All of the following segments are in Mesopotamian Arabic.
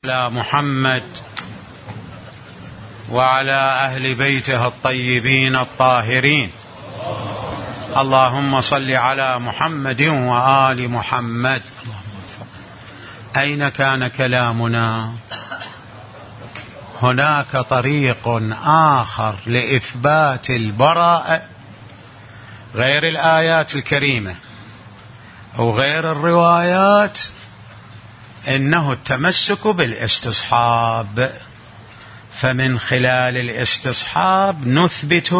على محمد وعلى أهل بيته الطيبين الطاهرين. اللهم صل على محمد وآل محمد. أين كان كلامنا؟ هناك طريق آخر لإثبات البراءة غير الآيات الكريمة أو غير الروايات، إنه التمسك بالاستصحاب. فمن خلال الاستصحاب نثبت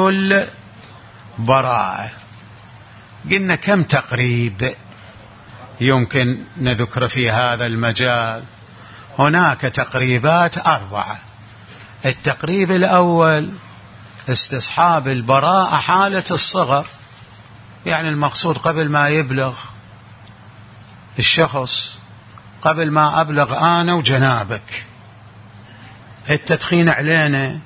البراءة. قلنا كم تقريب يمكن نذكر في هذا المجال؟ هناك تقريبات 4. التقريب الأول استصحاب البراءة حالة الصغر، يعني المقصود قبل ما يبلغ الشخص، قبل ما أبلغ أنا وجنابك، التدخين علينا،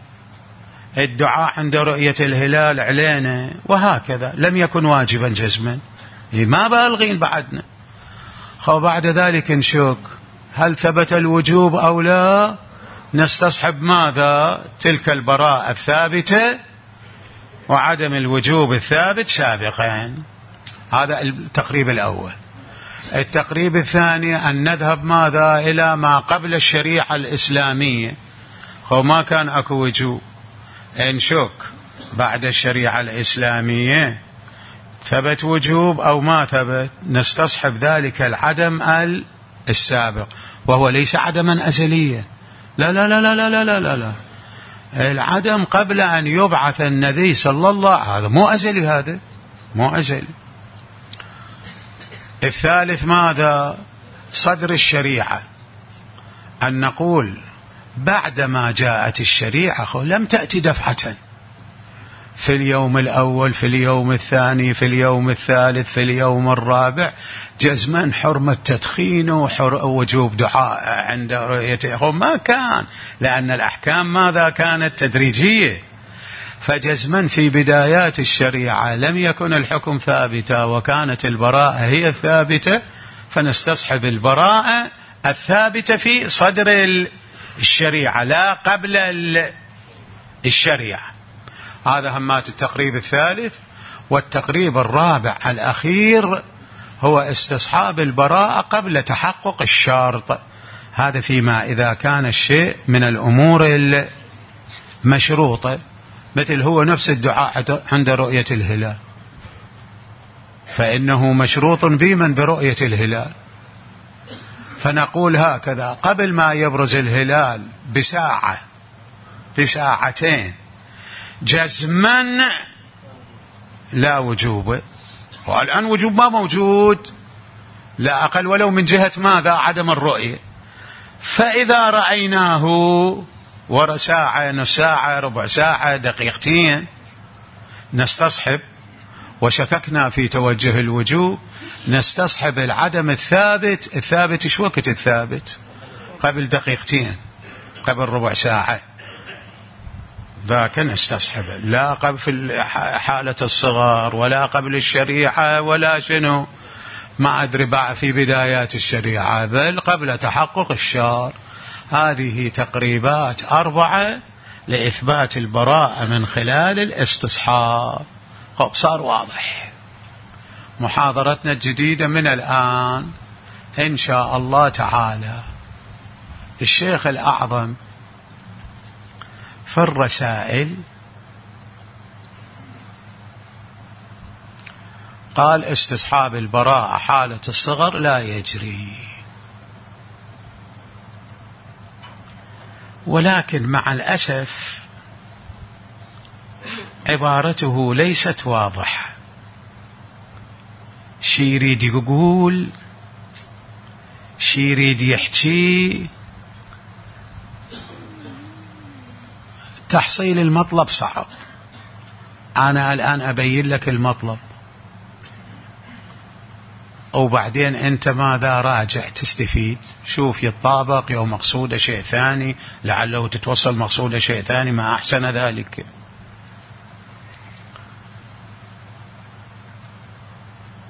الدعاء عند رؤية الهلال علينا، وهكذا. لم يكن واجبا جزما، ما بالغين بعدنا. بعد ذلك نشك هل ثبت الوجوب أو لا، نستصحب ماذا؟ تلك البراءة الثابتة وعدم الوجوب الثابت سابقا. هذا التقريب الأول. التقريب الثاني أن نذهب ماذا؟ إلى ما قبل الشريعة الإسلامية. ما كان أكو وجوب، نشك بعد الشريعة الإسلامية ثبت وجوب أو ما ثبت، نستصحب ذلك العدم السابق، وهو ليس عدما أزليا. لا لا لا لا لا لا لا لا. العدم قبل أن يبعث النبي صلى الله عليه وسلم، هذا مو أزلي، هذا مو أزلي. الثالث ماذا؟ صدر الشريعة، أن نقول بعدما جاءت الشريعة لم تأتي دفعة، في اليوم الأول، في اليوم الثاني، في اليوم الثالث، في اليوم الرابع، جزما حرمة تدخين ووجوب دعاء عند رؤيته. ما كان، لأن الأحكام ماذا كانت؟ تدريجية. فجزما في بدايات الشريعة لم يكن الحكم ثابتا وكانت البراءة هي الثابتة، فنستصحب البراءة الثابتة في صدر الشريعة لا قبل الشريعة. هذا همات التقريب الثالث. والتقريب الرابع الأخير هو استصحاب البراءة قبل تحقق الشرط. هذا فيما إذا كان الشيء من الأمور المشروطة، مثل هو نفس الدعاء عند رؤية الهلال، فإنه مشروط بمن؟ برؤية الهلال. فنقول هكذا قبل ما يبرز الهلال بساعة، بساعتين، جزما لا وجوب. والآن وجوب ما موجود، لا أقل ولو من جهة ماذا؟ عدم الرؤية. فإذا رأيناه ورا ساعة، نص ساعة، ربع ساعة، دقيقتين، نستصحب. وشككنا في توجه الوجوب، نستصحب العدم الثابت. الثابت شو وقت الثابت؟ قبل دقيقتين، قبل ربع ساعة، ذاك نستصحب. لا قبل في حالة الصغر، ولا قبل الشريعة، ولا شنو ما أدري بقى في بدايات الشريعة، بل قبل تحقق الشرع. هذه تقريبات 4 لإثبات البراءة من خلال الاستصحاب. صار واضح. محاضرتنا الجديدة من الآن إن شاء الله تعالى، الشيخ الأعظم في الرسائل قال استصحاب البراءة حالة الصغر لا يجري، ولكن مع الأسف عبارته ليست واضحة. شي يريد يقول، شي يريد يحكي، تحصيل المطلب صعب. أنا الآن أبين لك المطلب، وبعدين أنت ماذا؟ راجع تستفيد، شوف يتطابق يو مقصود شيء ثاني، لعله تتوصل مقصود شيء ثاني، ما أحسن ذلك.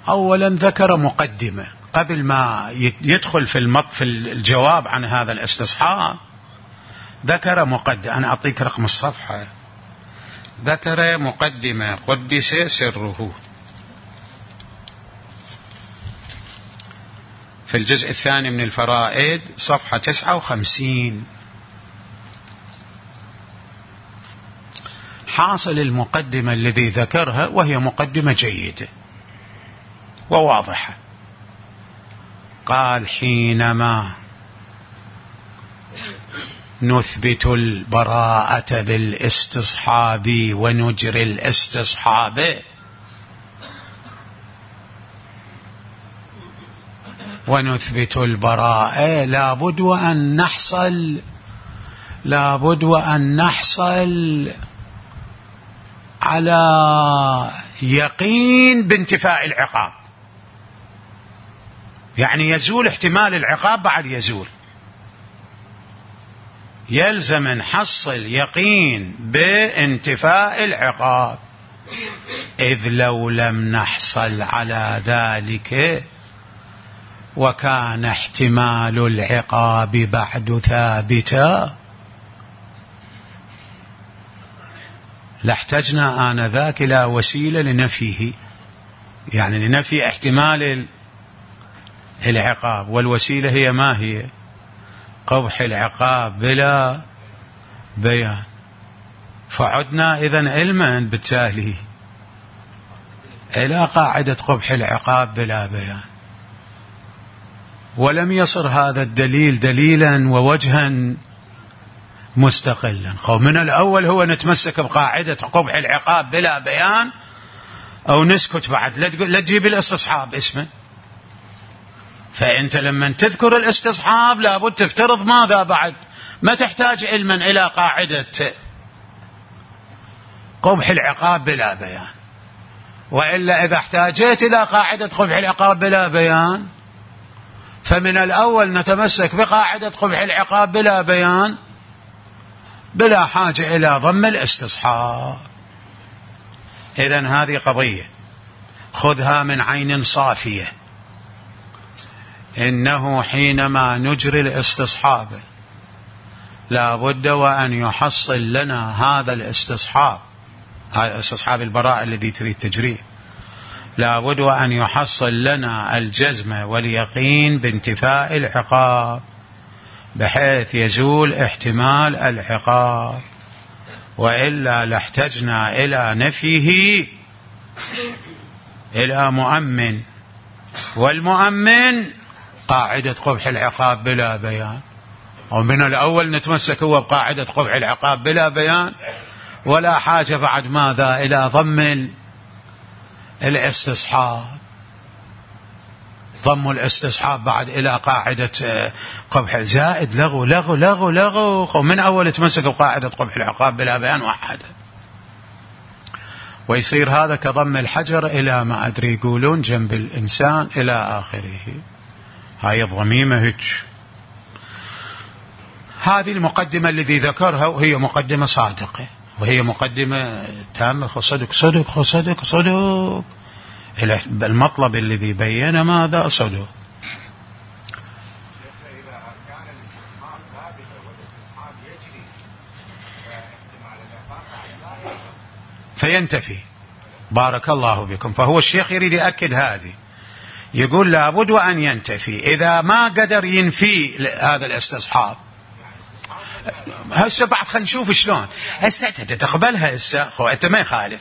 أولا ذكر مقدمة قبل ما يدخل في الجواب عن هذا الاستصحاب ذكر مقدمة. أنا أعطيك رقم الصفحة. ذكر مقدمة قدس سره في الجزء الثاني من الفرائد صفحة 59. حاصل المقدمة الذي ذكرها وهي مقدمة جيدة وواضحة. قال: حينما نثبت البراءة بالاستصحاب ونجري الاستصحاب ونثبت البراءة لابد وأن نحصل على يقين بانتفاء العقاب، يعني يزول احتمال العقاب بعد يزول، يلزم نحصل يقين بانتفاء العقاب، إذ لو لم نحصل على ذلك وكان احتمال العقاب بعد ثابتا لاحتجنا آنذاك إلى وسيلة لنفيه، يعني لنفي احتمال العقاب، والوسيلة هي ما هي؟ قبح العقاب بلا بيان. فعدنا إذن علما بالتالي إلى قاعدة قبح العقاب بلا بيان، ولم يصر هذا الدليل دليلا ووجها مستقلا. من الأول هو نتمسك بقاعدة قبح العقاب بلا بيان أو نسكت بعد، لا تجيب الاستصحاب اسمه. فأنت لما تذكر الاستصحاب لابد تفترض ماذا بعد؟ ما تحتاج علما إلى قاعدة قبح العقاب بلا بيان، وإلا إذا احتاجت إلى قاعدة قبح العقاب بلا بيان فمن الأول نتمسك بقاعدة قبح العقاب بلا بيان بلا حاجة إلى ضم الاستصحاب. إذن هذه قضية خذها من عين صافية، إنه حينما نجري الاستصحاب لا بد وأن يحصل لنا هذا الاستصحاب، هذا استصحاب البراءة الذي تريد تجريه، لا بد وأن يحصل لنا الجزم واليقين بانتفاء العقاب بحيث يزول احتمال العقاب، وإلا لاحتجنا إلى نفيه إلى مؤمن، والمؤمن قاعدة قبح العقاب بلا بيان. ومن الأول نتمسك هو بقاعدة قبح العقاب بلا بيان، ولا حاجة بعد ماذا إلى ضم الاستصحاب، ضم الاستصحاب بعد إلى قاعدة قبح زائد لغو لغو لغو لغو. ومن أول تمسك بقاعدة قبح العقاب بلا بيان وحده، ويصير هذا كضم الحجر إلى ما أدري يقولون جنب الإنسان إلى آخره. هاي الضميمة هيك. هذه المقدمة الذي ذكرها وهي مقدمة صادقة، وهي مقدمة تامة صدق صدق صدق صدق. المطلب الذي بين ماذا صدق. فينتفي. بارك الله بكم. فهو الشيخ يريد يأكد هذه، يقول لابد وأن ينتفي. إذا ما قدر ينفي هذا الاستصحاب هسه بعد خلينا نشوف شلون. هسه تقبلها هسه أنت ما يخالف.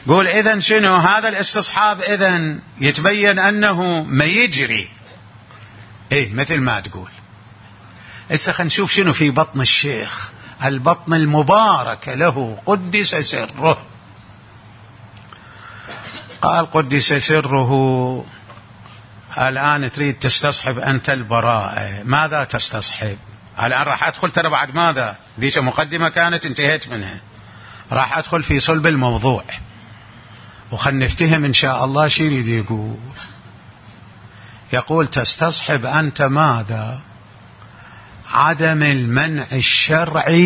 قول إذن شنو هذا الاستصحاب؟ إذن يتبين أنه ما يجري مثل ما تقول. هسه خلينا نشوف شنو في بطن الشيخ، البطن المبارك له قدس سره. قال قدس سره الآن تريد تستصحب أنت البراءة. ماذا تستصحب؟ الآن راح أدخل ترى بعد ماذا؟ ذيك مقدمة كانت انتهيت منها، راح أدخل في صلب الموضوع وخلنا نفتهم إن شاء الله شو يريد يقول. يقول تستصحب أنت ماذا؟ عدم المنع الشرعي.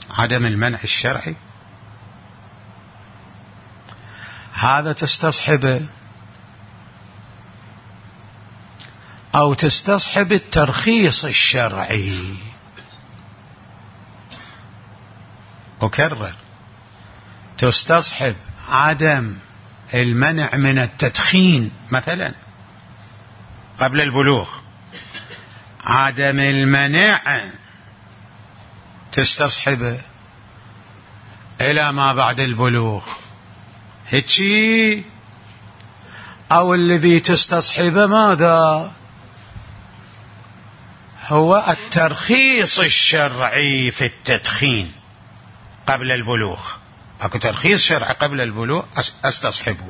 عدم المنع الشرعي هذا تستصحبه، أو تستصحب الترخيص الشرعي. أكرر، تستصحب عدم المنع من التدخين مثلا قبل البلوغ، عدم المنع تستصحبه إلى ما بعد البلوغ هيك، أو الذي تستصحبه ماذا؟ هو الترخيص الشرعي في التدخين قبل البلوغ. أكو ترخيص شرعي قبل البلوغ أستصحبه.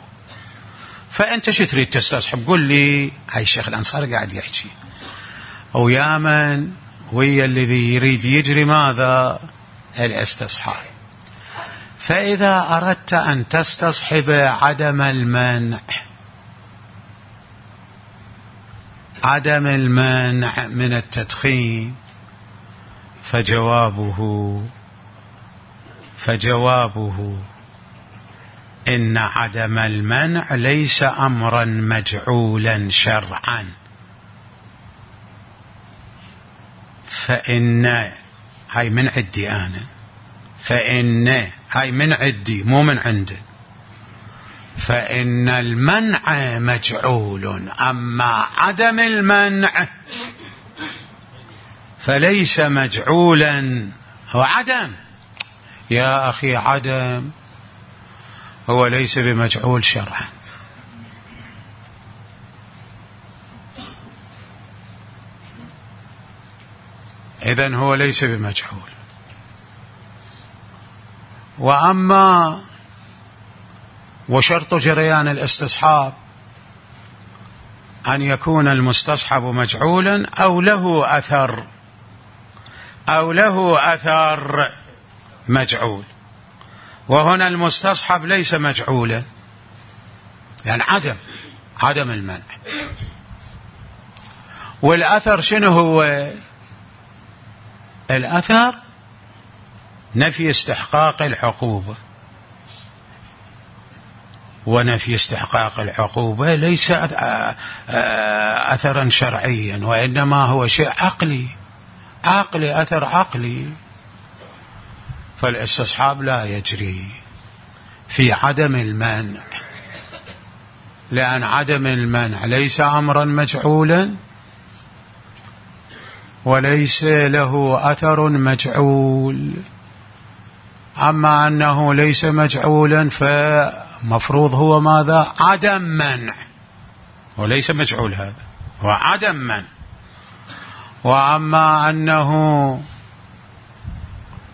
فأنت شو تريد تستصحب؟ قل لي. هاي الشيخ الأنصاري قاعد يحكي ويا من ويا الذي يريد يجري ماذا؟ الاستصحاب. فإذا أردت أن تستصحب عدم المنع من التدخين، فجوابه إن عدم المنع ليس أمرا مجعولا شرعا، فإن هاي من عندي أنا، فإن هاي من عندي مو من عنده، فإن المنع مجعول، أما عدم المنع فليس مجعولا. هو عدم يا أخي، عدم هو ليس بمجعول شرعا. إذن هو ليس بمجعول. وأما وشرط جريان الاستصحاب أن يكون المستصحب مجعولا أو له أثر مجعول، وهنا المستصحب ليس مجعولا، يعني عدم المنع. والأثر شنو هو؟ الأثر نفي استحقاق العقوبة، ونفي استحقاق العقوبة ليس أثرا شرعيا، وإنما هو شيء عقلي، أثر عقلي. فالاستصحاب لا يجري في عدم المنع، لأن عدم المنع ليس أمرا مجعولا وليس له أثر مجعول. أما أنه ليس مجعولا فمفروض هو ماذا؟ عدم منع، وليس مجعول، هذا هو عدم منع. وأما أنه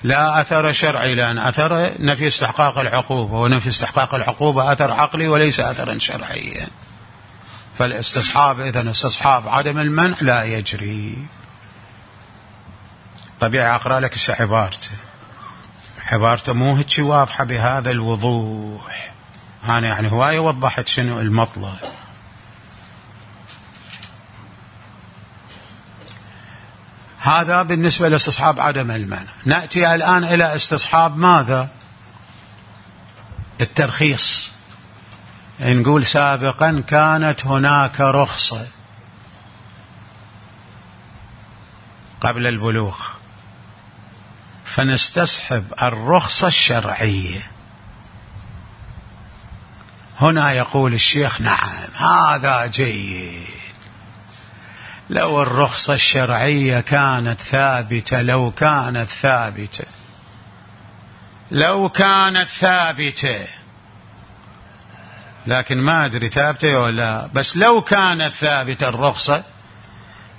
لا أثر شرعي، لأن أثر نفي استحقاق العقوبة، ونفي استحقاق العقوبة أثر عقلي وليس أثرا شرعيا. فالاستصحاب إذن استصحاب عدم المنع لا يجري. طبيعي أقرأ لك عبارته مو هيك واضحة بهذا الوضوح. أنا يعني هواية وضحت شنو المطلب. هذا بالنسبة لاستصحاب عدم المنع. نأتي الآن إلى استصحاب ماذا؟ الترخيص. نقول سابقا كانت هناك رخصة قبل البلوغ، فنستصحب الرخصة الشرعية. هنا يقول الشيخ نعم هذا جيد، لو الرخصة الشرعية كانت ثابتة، لو كانت ثابتة، لكن ما أدري ثابتة ولا، بس لو كانت ثابتة الرخصة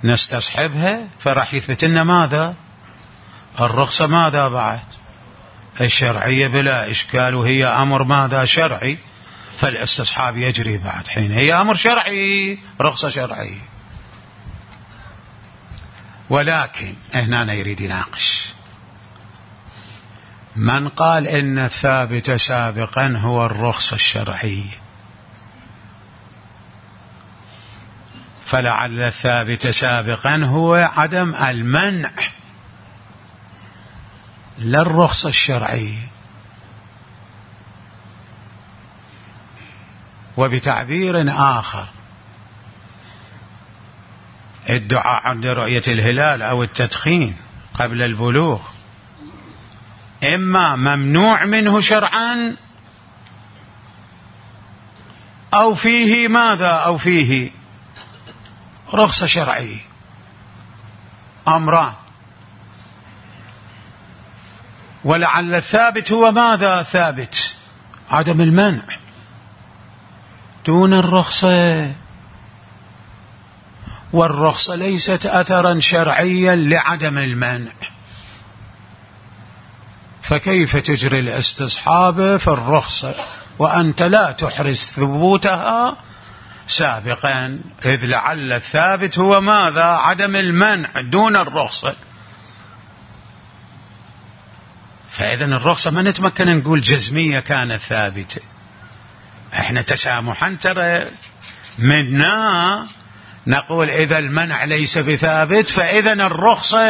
نستصحبها، فراح يثبت لنا ماذا؟ الرخصة ماذا بعد؟ الشرعية بلا إشكال، وهي أمر ماذا؟ شرعي، فالاستصحاب يجري بعد حين هي أمر شرعي، رخصة شرعية. ولكن هنا يريد يناقش من قال إن الثابت سابقا هو الرخصة الشرعية، فلعل الثابت سابقا هو عدم المنع لا الرخصة الشرعية. وبتعبير آخر الدعاء عند رؤية الهلال أو التدخين قبل البلوغ إما ممنوع منه شرعا أو فيه ماذا؟ أو فيه رخصة شرعية. أمران، ولعل الثابت هو ماذا؟ ثابت عدم المنع دون الرخصة، والرخصة ليست أثرا شرعيا لعدم المنع، فكيف تجري الاستصحاب في الرخصة وأنت لا تحرز ثبوتها سابقا؟ إذ لعل الثابت هو ماذا؟ عدم المنع دون الرخصة. فإذا الرخصة ما نتمكن نقول جزمية كانت ثابتة، احنا تسامحا ترى منا نقول إذا المنع ليس بثابت فإذا الرخصة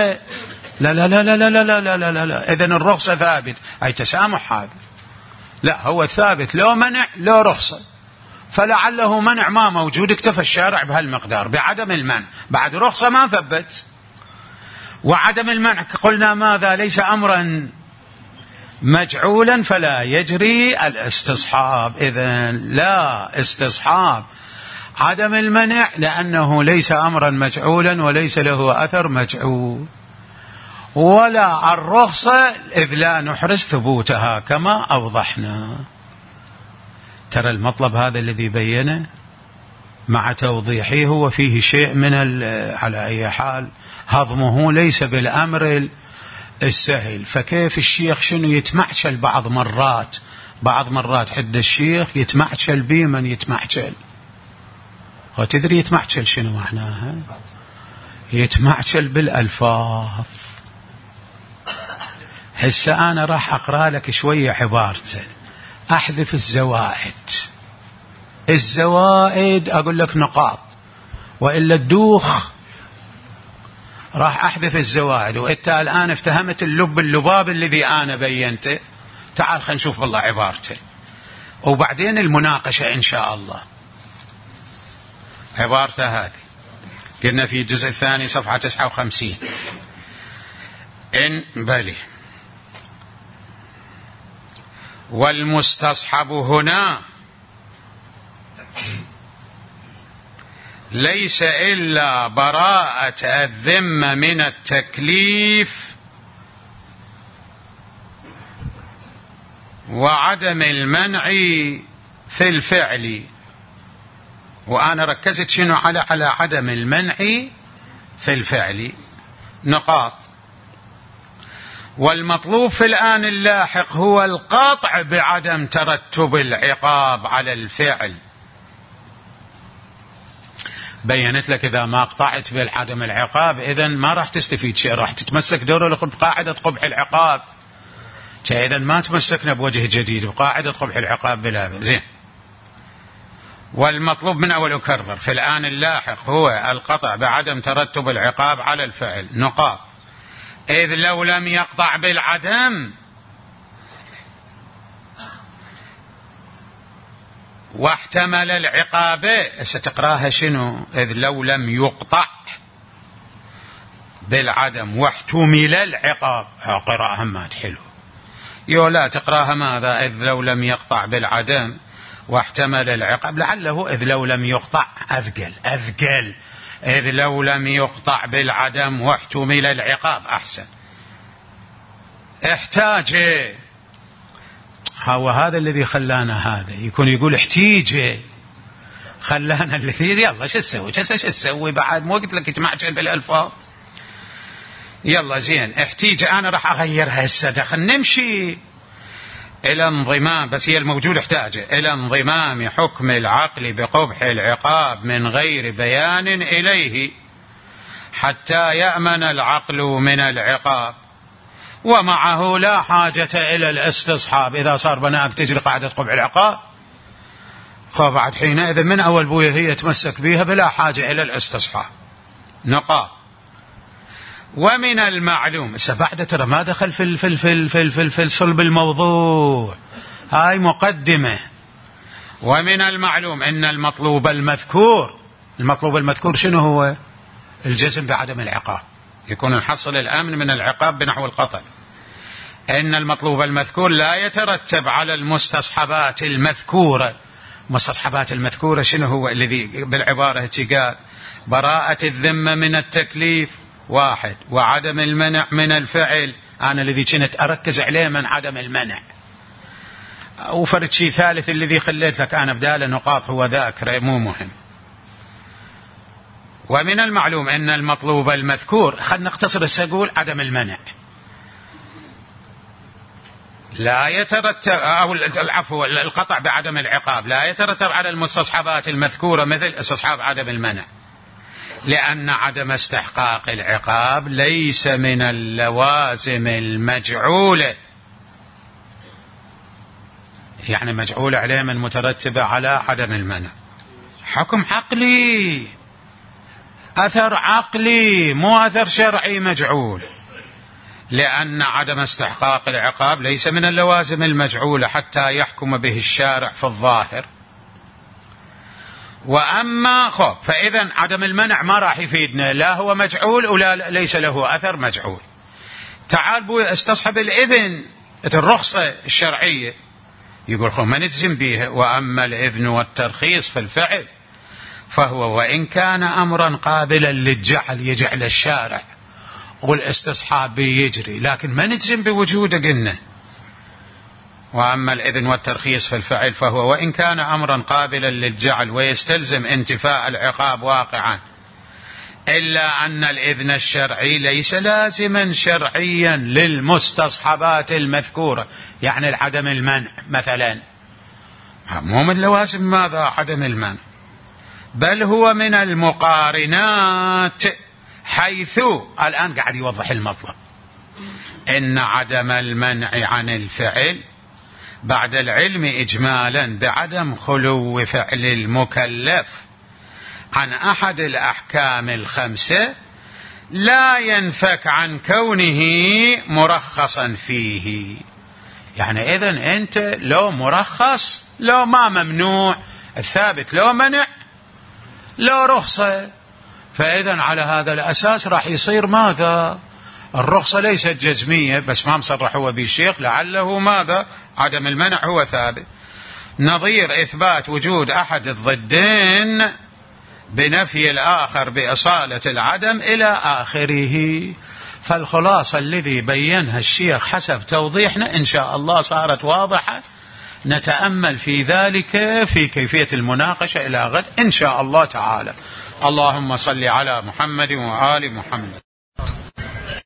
لا لا لا لا لا لا لا لا لا لا، إذن الرخصة ثابت، أي تسامح هذا. لا، هو الثابت لو منع لو رخصة، فلعله منع ما موجود، اكتفى الشارع بهالمقدار بعدم المنع، بعد رخصة ما ثبت. وعدم المنع قلنا ماذا؟ ليس أمرا مجعولا فلا يجري الاستصحاب. إذن لا استصحاب عدم المنع لأنه ليس أمرا مجعولا وليس له أثر مجعول، ولا الرخصة إذ لا نحرز ثبوتها كما أوضحنا. ترى المطلب هذا الذي بينه مع توضيحه هو فيه شيء من على أي حال هضمه ليس بالأمر السهل. فكيف الشيخ شنو يتمعشل بعض مرات حد الشيخ يتمعشل بي من يتمعشل، وتدري يتمعشل شنو معناها؟ يتمعشل بالألفاظ. هسه أنا راح أقرأ لك شوية عبارته، أحذف الزوائد أقول لك نقاط، وإلا الدوخ راح أحذف الزوائد. وإنت الآن افتهمت اللباب الذي أنا بينته. تعال خلينا نشوف والله عبارته وبعدين المناقشة إن شاء الله. عبارته هذه قلنا في الجزء الثاني صفحة 59 إن بلي والمستصحب هنا ليس إلا براءة الذمة من التكليف وعدم المنع في الفعل. وأنا ركزت شنو على عدم المنع في الفعل نقاط. والمطلوب في الآن اللاحق هو القطع بعدم ترتب العقاب على الفعل. بينت لك إذا ما قطعت بالعدم العقاب إذن ما راح تستفيد شيء، راح تتمسك دور بقاعدة قبح العقاب. إذن ما تمسكنا بوجه جديد بقاعدة قبح العقاب بلا زين. والمطلوب من أول أكرر في الآن اللاحق هو القطع بعدم ترتب العقاب على الفعل نقاط. إذ لو لم يقطع بالعدم واحتمل العقاب، ستقراها شنو؟ إذ لو لم يقطع بالعدم واحتمل العقاب، قراءة همات حلو. لا تقراها ماذا؟ إذ لو لم يقطع بالعدم واحتمل العقاب، لعله إذ لو لم يقطع أذقل إذ لو لم يقطع بالعدم واحتمل العقاب أحسن. احتاج هو هذا الذي خلانا هذا يكون يقول احتيج خلانا الذي يلا شو تسوي بعد مو قلت لك تمعجن بالألفاظ. يلا زين احتيج أنا راح أغيرها هسه دخل نمشي إلى انضمام، بس هي الموجود احتاج إلى انضمام حكم العقل بقبح العقاب من غير بيان إليه حتى يأمن العقل من العقاب، ومعه لا حاجة إلى الاستصحاب. إذا صار بناك تجري قاعدة قبح العقاب فبعد حينئذ من أول بويه هي تمسك بها بلا حاجة إلى الاستصحاب نقاط. ومن المعلوم بعد ترى ما دخل في صلب الموضوع، هاي مقدمة. ومن المعلوم أن المطلوب المذكور شنو هو؟ الجزم بعدم العقاب، يكون نحصل الأمن من العقاب بنحو القطع. إن المطلوب المذكور لا يترتب على المستصحبات المذكورة. المستصحبات المذكورة شنو هو؟ الذي بالعبارة قال براءة الذمة من التكليف واحد، وعدم المنع من الفعل، أنا الذي كنت أركز عليه من عدم المنع، وفرد شيء ثالث الذي خليت لك أنا بدال نقاط هو ذاكره مو مهم. ومن المعلوم أن المطلوب المذكور، خلنا نقتصر السقول عدم المنع، لا يترتب أو العفو القطع بعدم العقاب لا يترتب على المستصحبات المذكورة مثل استصحاب عدم المنع، لأن عدم استحقاق العقاب ليس من اللوازم المجعولة، يعني مجعولة عليه من مترتبة على عدم المنع. حكم عقلي، أثر عقلي مو أثر شرعي مجعول، لأن عدم استحقاق العقاب ليس من اللوازم المجعولة حتى يحكم به الشارع في الظاهر. وأما فإذا عدم المنع ما راح يفيدنا، لا هو مجعول ولا ليس له أثر مجعول. تعال بو استصحب الإذن، الرخصة الشرعية، يقول ما نجزم بها. وأما الإذن والترخيص في الفعل فهو وإن كان أمرا قابلا للجعل، يجعل الشارع والاستصحاب يجري، لكن ما نجزم بوجوده. قلنا وأما الإذن والترخيص في الفعل فهو وإن كان أمرا قابلا للجعل ويستلزم انتفاء العقاب واقعا، إلا أن الإذن الشرعي ليس لازما شرعيا للمستصحبات المذكورة، يعني عدم المنع مثلا مو من لوازم ماذا عدم المنع، بل هو من المقارنات، حيث الآن قاعد يوضح المطلب إن عدم المنع عن الفعل بعد العلم إجمالا بعدم خلو فعل المكلف عن أحد الأحكام الخمسة لا ينفك عن كونه مرخصا فيه. يعني إذن أنت لو مرخص، لو ما ممنوع، الثابت لو منع لو رخصة، فإذن على هذا الأساس راح يصير ماذا؟ الرخصة ليست جزمية، بس ما مصرح هو بالشيخ لعله ماذا؟ عدم المنع هو ثابت، نظير إثبات وجود أحد الضدين بنفي الآخر بإصالة العدم إلى آخره. فالخلاصة الذي بينها الشيخ حسب توضيحنا إن شاء الله صارت واضحة، نتأمل في ذلك في كيفية المناقشة إلى غد إن شاء الله تعالى. اللهم صل على محمد وآل محمد.